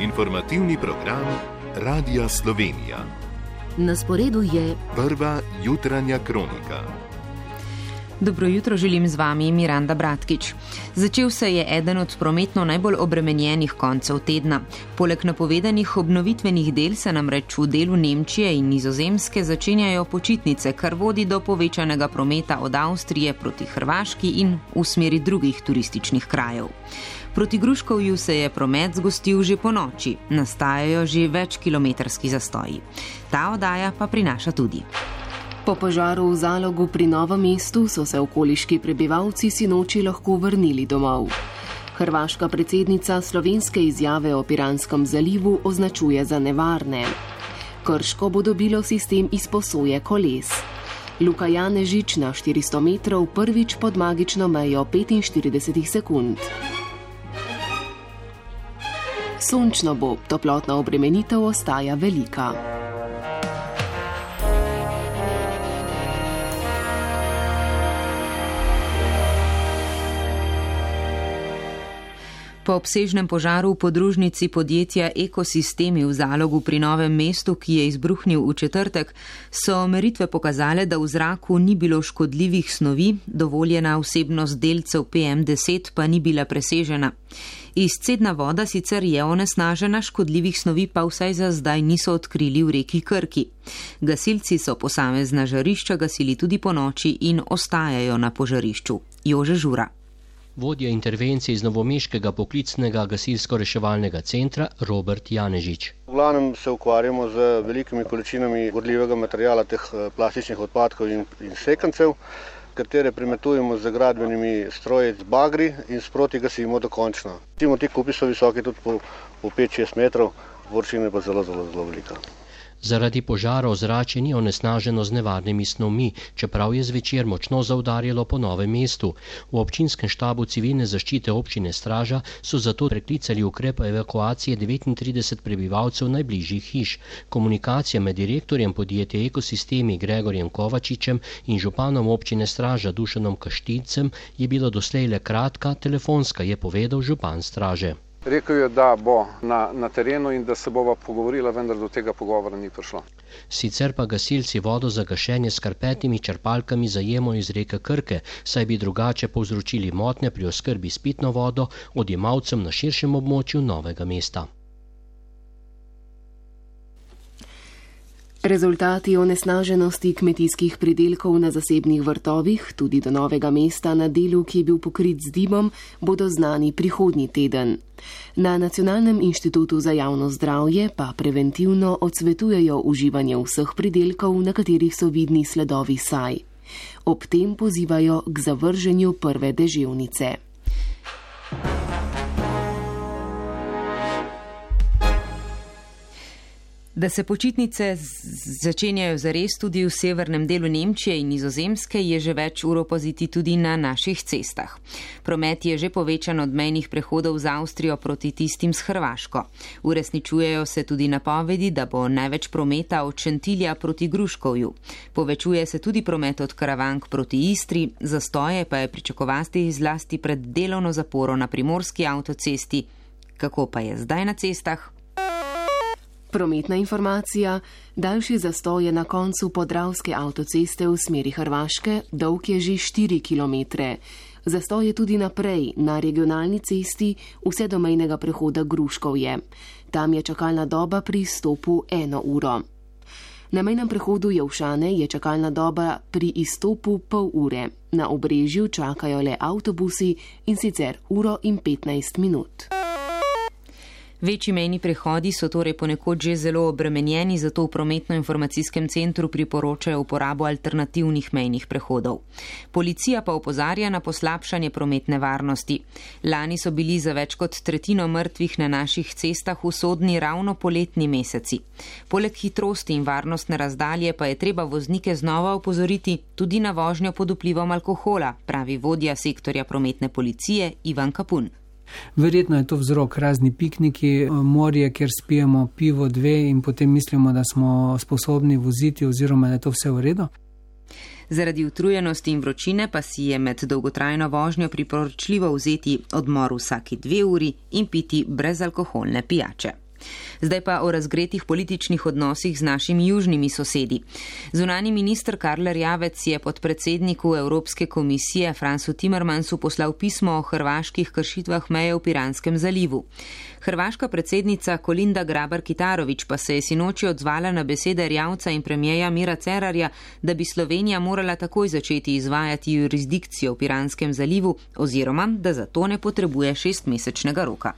Informativni program Radia Slovenija. Na sporedu je prva jutranja kronika. Dobro jutro, želim z vami Miranda Bratkič. Začel se je eden od prometno najbolj obremenjenih koncev tedna. Poleg napovedanih obnovitvenih del se namreč v delu Nemčije in Nizozemske začenjajo počitnice, kar vodi do povečanega prometa od Avstrije proti Hrvaški in v smeri drugih turističnih krajev. Proti Gruškovju se je promet zgostil že po noči, nastajajo že večkilometrski zastoji. Ta oddaja pa prinaša tudi. Po požaru v Zalogu pri Novem mestu so se okoliški prebivalci sinoči lahko vrnili domov. Hrvaška predsednica slovenske izjave o Piranskem zalivu označuje za nevarne. Krško bo dobilo sistem izposoje koles. Luka Janežič na 400 metrov prvič pod magično mejo 45 sekund. Sončno bo, toplotna obremenitev ostaja velika. Po obsežnem požaru v podružnici podjetja Ekosistemi v Zalogu pri Novem mestu, ki je izbruhnil v četrtek, so meritve pokazale, da v zraku ni bilo škodljivih snovi, dovoljena vsebnost delcev PM10 pa ni bila presežena. Izcedna voda sicer je onesnažena, škodljivih snovi pa vsaj za zdaj niso odkrili v reki Krki. Gasilci so posamezna žarišča gasili tudi po noči in ostajajo na požarišču. Jože Žura. Vodja intervencije iz novomeškega poklicnega gasilsko-reševalnega centra Robert Janežič. V glavnem se ukvarjamo z velikimi količinami gorljivega materiala, teh plastičnih odpadkov in sekancev, katere premetujemo z gradbenimi stroji z bagri in sproti gasimo dokončno. Ti kupi so visoki tudi po 5-6 metrov, površina pa zelo velika. Zaradi požara ozračje ni onesnaženo z nevarnimi snovmi, čeprav je zvečer močno zaudarjalo po Novem mestu. V občinskem štabu civilne zaščite občine Straža so zato preklicali ukrep evakuacije 39 prebivalcev najbližjih hiš. Komunikacija med direktorjem podjetja Ekosistemi Gregorjem Kovačičem in županom občine Straža Dušanom Kaštilcem je bila doslej le kratka, telefonska, je povedal župan Straže. Rekel je, da bo na terenu in da se bova pogovorila, vendar do tega pogovora ni prišlo. Sicer pa gasilci vodo za gašenje s karpetnimi črpalkami zajemajo iz reke Krke, saj bi drugače povzročili motnje pri oskrbi s pitno vodo odjemalcem na širšem območju Novega mesta. Rezultati onesnaženosti kmetijskih pridelkov na zasebnih vrtovih, tudi do Novega mesta na delu, ki je bil pokrit z dimom, bodo znani prihodnji teden. Na Nacionalnem inštitutu za javno zdravje pa preventivno odsvetujejo uživanje vseh pridelkov, na katerih so vidni sledovi saj. Ob tem pozivajo k zavrženju prve deževnice. Da se počitnice začenjajo zares tudi v severnem delu Nemčije in Nizozemske, je že več ur opaziti tudi na naših cestah. Promet je že povečan od mejnih prehodov z Avstrijo proti tistim s Hrvaško. Uresničujejo se tudi napovedi, da bo največ prometa od Šentilja proti Gruškovju. Povečuje se tudi promet od Karavank proti Istri, zastoje pa je pričakovati zlasti pred delovno zaporo na primorski avtocesti. Kako pa je zdaj na cestah? Prometna informacija. Daljši zastoj je na koncu podravske avtoceste v smeri Hrvaške, dolg je že 4 km. Zastoj je tudi naprej, na regionalni cesti, vse do mejnega prehoda Gruškovje. Tam je čakalna doba pri izstopu 1 uro. Na mejnem prehodu Jelšane je čakalna doba pri izstopu pol ure. Na Obrežju čakajo le avtobusi in sicer 1 in 15 minut. Večji mejni prehodi so torej ponekod že zelo obremenjeni, zato v prometno-informacijskem centru priporočajo uporabo alternativnih mejnih prehodov. Policija pa opozarja na poslabšanje prometne varnosti. Lani so bili za več kot tretjino mrtvih na naših cestah usodni ravno poletni meseci. Poleg hitrosti in varnostne razdalje pa je treba voznike znova opozoriti tudi na vožnjo pod vplivom alkohola, pravi vodja sektorja prometne policije Ivan Kapun. Verjetno je to vzrok razni pikniki, morje, kjer spijemo pivo 2 in potem mislimo, da smo sposobni voziti oziroma da je to vse v redu. Zaradi utrujenosti in vročine pa si je med dolgotrajno vožnjo priporočljivo vzeti odmor vsaki 2 uri in piti brezalkoholne pijače. Zdaj pa o razgretih političnih odnosih z našimi južnimi sosedi. Zunanji minister Karl Erjavec je podpredsedniku Evropske komisije Franzu Timmermansu poslal pismo o hrvaških kršitvah meje v Piranskem zalivu. Hrvaška predsednica Kolinda Grabar-Kitarović pa se je sinoči odzvala na besede Erjavca in premijeja Mira Cerarja, da bi Slovenija morala takoj začeti izvajati jurisdikcijo v Piranskem zalivu oziroma da za to ne potrebuje 6-mesečnega roka.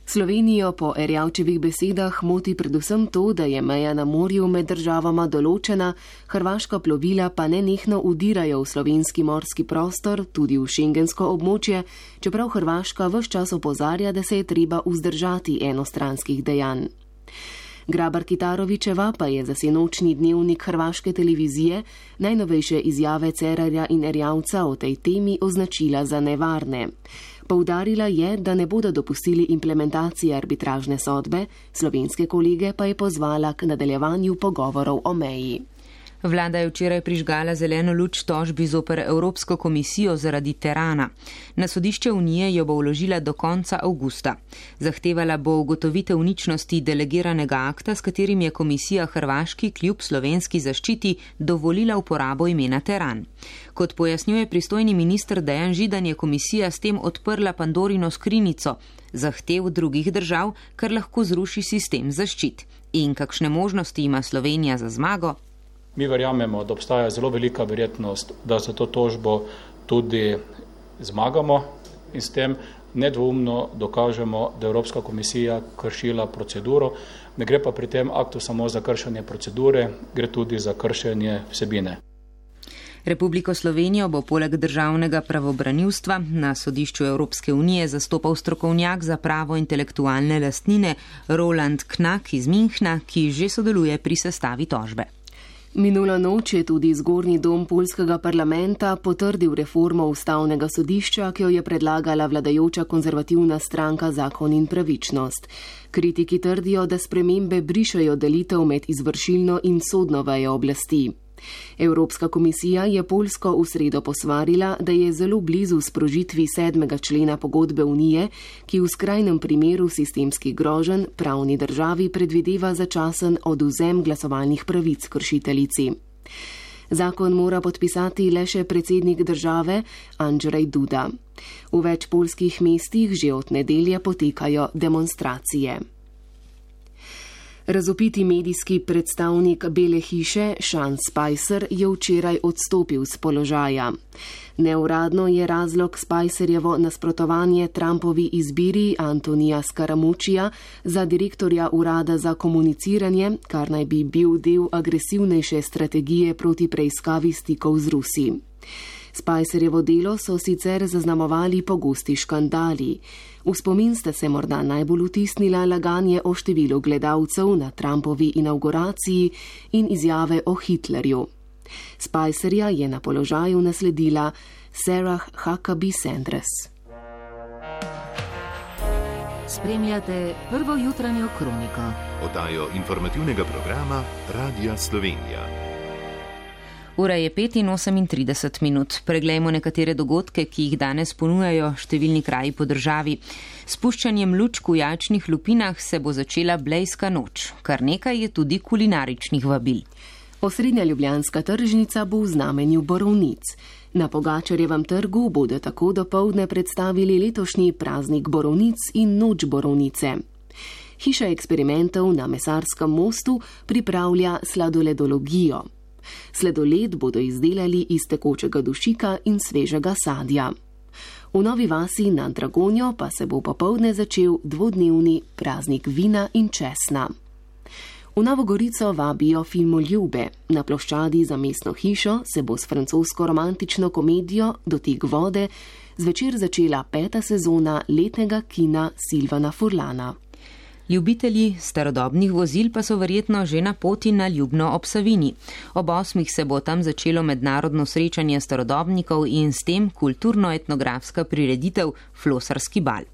Slovenijo po Erjavčevih besedah moti predvsem to, da je meja na morju med državama določena, hrvaška plovila pa nenehno udirajo v slovenski morski prostor, tudi v šengensko območje, čeprav Hrvaška ves čas opozarja, da se je treba vzdržati enostranskih dejanj. Grabar-Kitarovićeva pa je za sinočni dnevnik hrvaške televizije najnovejše izjave Cerarja in Erjavca o tej temi označila za nevarne. Poudarila je, da ne bodo dopustili implementacije arbitražne sodbe, slovenske kolege pa je pozvala k nadaljevanju pogovorov o meji. Vlada je včeraj prižgala zeleno luč tožbi zoper Evropsko komisijo zaradi terana. Na sodišče Unije jo bo vložila do konca avgusta. Zahtevala bo ugotovitev ničnosti delegiranega akta, s katerim je komisija Hrvaški kljub slovenski zaščiti dovolila uporabo imena teran. Kot pojasnjuje pristojni minister Dejan Židan, je komisija s tem odprla Pandorino skrinjico zahtev drugih držav, kar lahko zruši sistem zaščit. In kakšne možnosti ima Slovenija za zmago? Mi verjamemo, da obstaja zelo velika verjetnost, da za to tožbo tudi zmagamo in s tem nedvoumno dokažemo, da Evropska komisija kršila proceduro. Ne gre pa pri tem aktu samo za kršenje procedure, gre tudi za kršenje vsebine. Republiko Slovenijo bo poleg državnega pravobranilstva na sodišču Evropske unije zastopal strokovnjak za pravo intelektualne lastnine Roland Knack iz Münchna, ki že sodeluje pri sestavi tožbe. Minulo noč je tudi zgornji dom poljskega parlamenta potrdil reformo ustavnega sodišča, ki jo je predlagala vladajoča konzervativna stranka Zakon in pravičnost. Kritiki trdijo, da spremembe brišajo delitev med izvršilno in sodno vejo oblasti. Evropska komisija je Poljsko v sredo posvarila, da je zelo blizu sprožitvi 7. člena pogodbe Unije, ki v skrajnem primeru sistemskih groženj pravni državi predvideva začasen odvzem glasovalnih pravic kršiteljici. Zakon mora podpisati le še predsednik države Andrzej Duda. V več poljskih mestih že od nedelje potekajo demonstracije. Razvpiti medijski predstavnik Bele hiše Sean Spicer je včeraj odstopil z položaja. Neuradno je razlog Spicerjevo nasprotovanje Trumpovi izbiri Antonija Scaramuccija za direktorja urada za komuniciranje, kar naj bi bil del agresivnejše strategije proti preiskavi stikov z Rusi. Spicerjevo delo so sicer zaznamovali pogosti škandali. V spomin sta se morda najbolj vtisnila laganje o številu gledalcev na Trumpovi inauguraciji in izjave o Hitlerju. Spicerja je na položaju nasledila Sarah Huckabee Sanders. Spremljate prvo jutranjo kroniko. Oddajo informativnega programa Radia Slovenija. Ura je 5:38 minut. Preglejmo nekatere dogodke, ki jih danes ponujajo številni kraji po državi. S puščanjem lučk v Jačnih lupinah se bo začela blejska noč. Kar nekaj je tudi kulinaričnih vabil. Osrednja ljubljanska tržnica bo v znamenju borovnic. Na Pogačarjevem trgu bodo tako dopoldne predstavili letošnji praznik borovnic in noč borovnice. Hiša eksperimentov na Mesarskem mostu pripravlja sladoledologijo. Sladoled bodo izdelali iz tekočega dušika in svežega sadja. V Novi vasi nad Dragonjo pa se bo popoldne začel dvodnevni praznik vina in česna. V Novo Gorico vabijo filmoljube. Na ploščadi za mestno hišo se bo s francosko romantično komedijo Dotik vode zvečer začela 5. sezona letnega kina Silvana Furlana. Ljubitelji starodobnih vozil pa so verjetno že na poti na Ljubno ob Savini. Ob 8. se bo tam začelo mednarodno srečanje starodobnikov in s tem kulturno-etnografska prireditev Flosarski bal.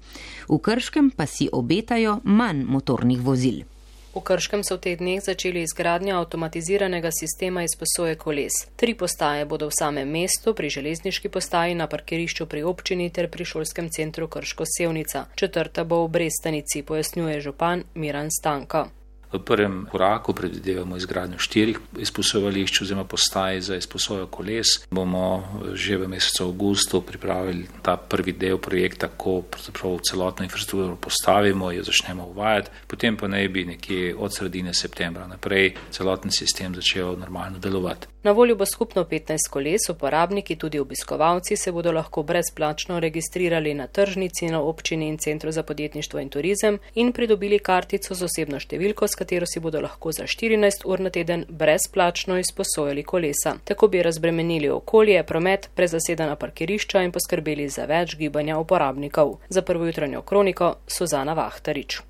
V Krškem pa si obetajo manj motornih vozil. V Krškem so v teh dneh začeli izgradnjo avtomatiziranega sistema izposoje koles. 3 postaje bodo v samem mestu, pri železniški postaji, na parkirišču pri občini ter pri šolskem centru Krško Sevnica. 4. bo v Brestanici, pojasnjuje župan Miran Stanko. V prvem koraku predvidevamo izgradnjo 4 izposojališč oziroma postaj za izposojo koles. Bomo že v mesecu avgustu pripravili ta prvi del projekta, ko pravzaprav celotno infrastrukturo postavimo, jo začnemo uvajati, potem pa naj bi nekje od sredine septembra naprej celoten sistem začel normalno delovati. Na voljo bo skupno 15 koles, uporabniki, tudi obiskovalci, se bodo lahko brezplačno registrirali na tržnici, na občini in Centru za podjetništvo in turizem in pridobili kartico z osebno številko, s katero si bodo lahko za 14 ur na teden brezplačno izposojali kolesa. Tako bi razbremenili okolje, promet, prezasedena parkirišča in poskrbeli za več gibanja uporabnikov. Za prvo jutranjo kroniko Suzana Vahtarič.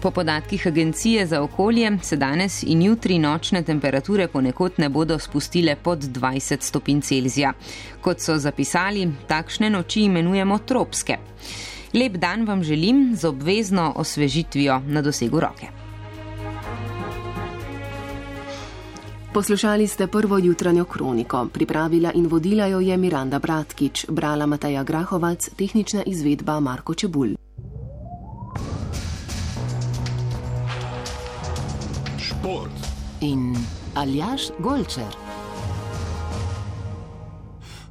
Po podatkih Agencije za okolje se danes in jutri nočne temperature ponekod ne bodo spustile pod 20 stopinj Celzija. Kot so zapisali, takšne noči imenujemo tropske. Lep dan vam želim z obvezno osvežitvijo na dosegu roke. Poslušali ste prvo jutranjo kroniko. Pripravila in vodila jo je Miranda Bratkič, brala Mateja Grahovac, tehnična izvedba Marko Čebulj. Šport in Aljaž Golčer.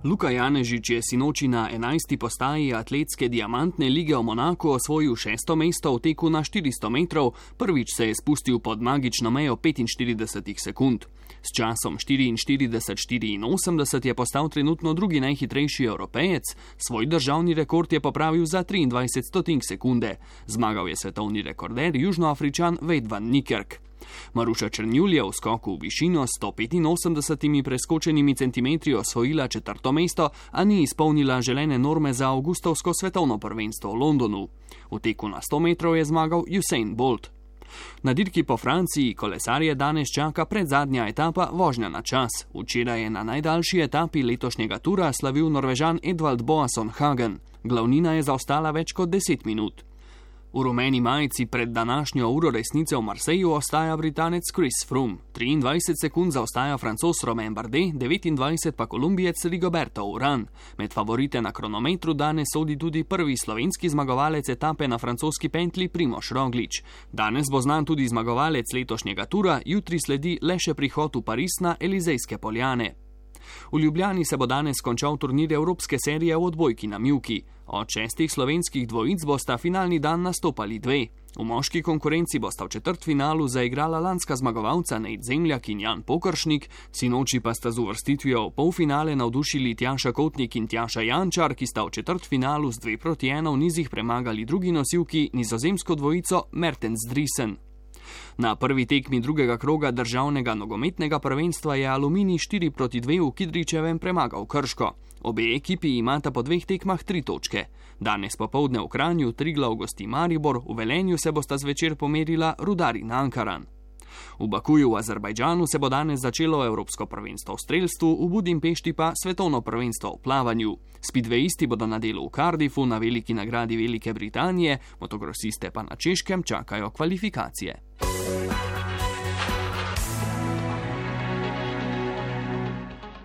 Luka Janežič je sinoči na 11. postaji atletske diamantne lige v Monaku osvojil 6. mesto v teku na 400 metrov, prvič se je spustil pod magično mejo 45 sekund. S časom 44:84 je postal trenutno drugi najhitrejši Evropejec, svoj državni rekord je popravil za 23 sekunde. Zmagal je svetovni rekorder Južnoafričan Wade van Niekerk. Maruša Černjul je v skoku v višino 185 preskočenimi centimetri osvojila 4. mesto, a ni izpolnila želene norme za avgustovsko svetovno prvenstvo v Londonu. V teku na 100 metrov je zmagal Usain Bolt. Na dirki po Franciji kolesarje danes čaka predzadnja etapa vožnja na čas. Včeraj je na najdaljši etapi letošnjega tura slavil Norvežan Edvald Boasson Hagen. Glavnina je zaostala več kot 10 minut. V rumeni majici pred današnjo uro resnice v Marseju ostaja Britanec Chris Froome. 23 sekund zaostaja Francoz Romain Bardet, 29 pa Kolumbijec Rigoberto Urán. Med favorite na kronometru danes sodi tudi prvi slovenski zmagovalec etape na francoski pentlji Primož Roglič. Danes bo znan tudi zmagovalec letošnjega tura, jutri sledi le še prihod v Pariz na Elizejske poljane. V Ljubljani se bo danes končal turnir Evropske serije v odbojki na mivki. Od 6 slovenskih dvojic bosta finalni dan nastopali 2. V moški konkurenci bosta v četrtfinalu zaigrala lanska zmagovalca Nejc Zemljak in Jan Pokršnik, sinoči pa sta z uvrstitvijo v polfinale navdušili Tjaša Kotnik in Tjaša Jančar, ki sta v četrtfinalu z 2:1 v nizih premagali drugi nosilki nizozemsko dvojico Mertens Driesen. Na prvi tekmi drugega kroga državnega nogometnega prvenstva je Aluminij 4:2 v Kidričevem premagal Krško. Obe ekipi imata po 2 tekmah 3 točke. Danes popoldne v Kranju Triglav gosti Maribor, v Velenju se bosta zvečer pomerila Rudar in Ankaran. V Bakuju v Azerbajdžanu se bo danes začelo Evropsko prvenstvo v strelstvu, v Budimpešti pa svetovno prvenstvo v plavanju. Speedwayisti bodo na delu v Cardiffu na veliki nagradi Velike Britanije, motokrosiste pa na Češkem čakajo kvalifikacije.